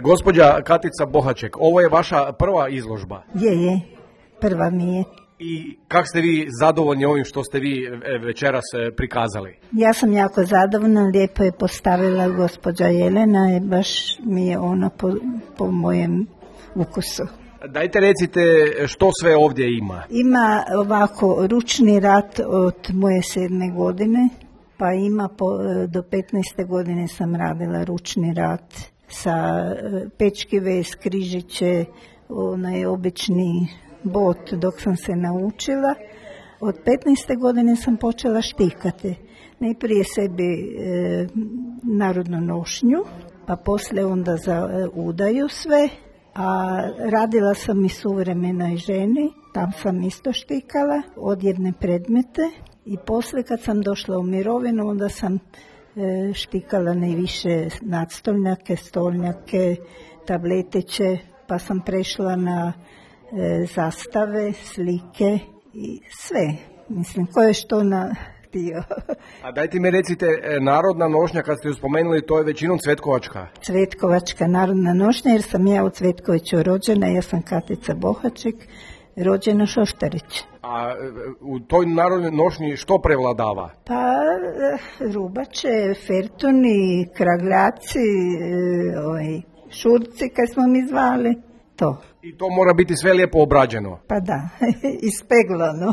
Gospođa Katica Bohaček, ovo je vaša prva izložba. Je, prva mi je. I kako ste vi zadovoljni ovim što ste vi večeras prikazali? Ja sam jako zadovoljna, lijepo je postavila gospođa Jelena i baš mi je ona po mojem ukusu. Dajte recite što sve ovdje ima. Ima ovako ručni rad od moje 7. godine, pa ima do 15. godine sam radila ručni rad sa pečki vez, križiće, onaj obični bot dok sam se naučila. Od 15. godine sam počela štikati. Najprije sebi narodnu nošnju, pa poslije onda za udaju sve. A radila sam i suvremenoj ženi, tam sam isto štikala odjevne predmete i poslije kad sam došla u mirovinu onda sam štikala najviše nadstolnjake, stolnjake, tabletiće, pa sam prešla na zastave, slike i sve. Mislim, ko je što htio. A dajte mi recite, narodna nošnja, kad ste ju spomenuli, to je većinom cvetkovačka? Cvetkovačka narodna nošnja, jer sam ja u Cvetkoviću rođena, ja sam Katica Bohaček, rođena Šoštarić. A u toj narodnoj nošnji što prevladava? Pa rubače, fertuni, kragljaci, šurci, kaj smo mi zvali, to. I to mora biti sve lijepo obrađeno? Pa da, ispeglano.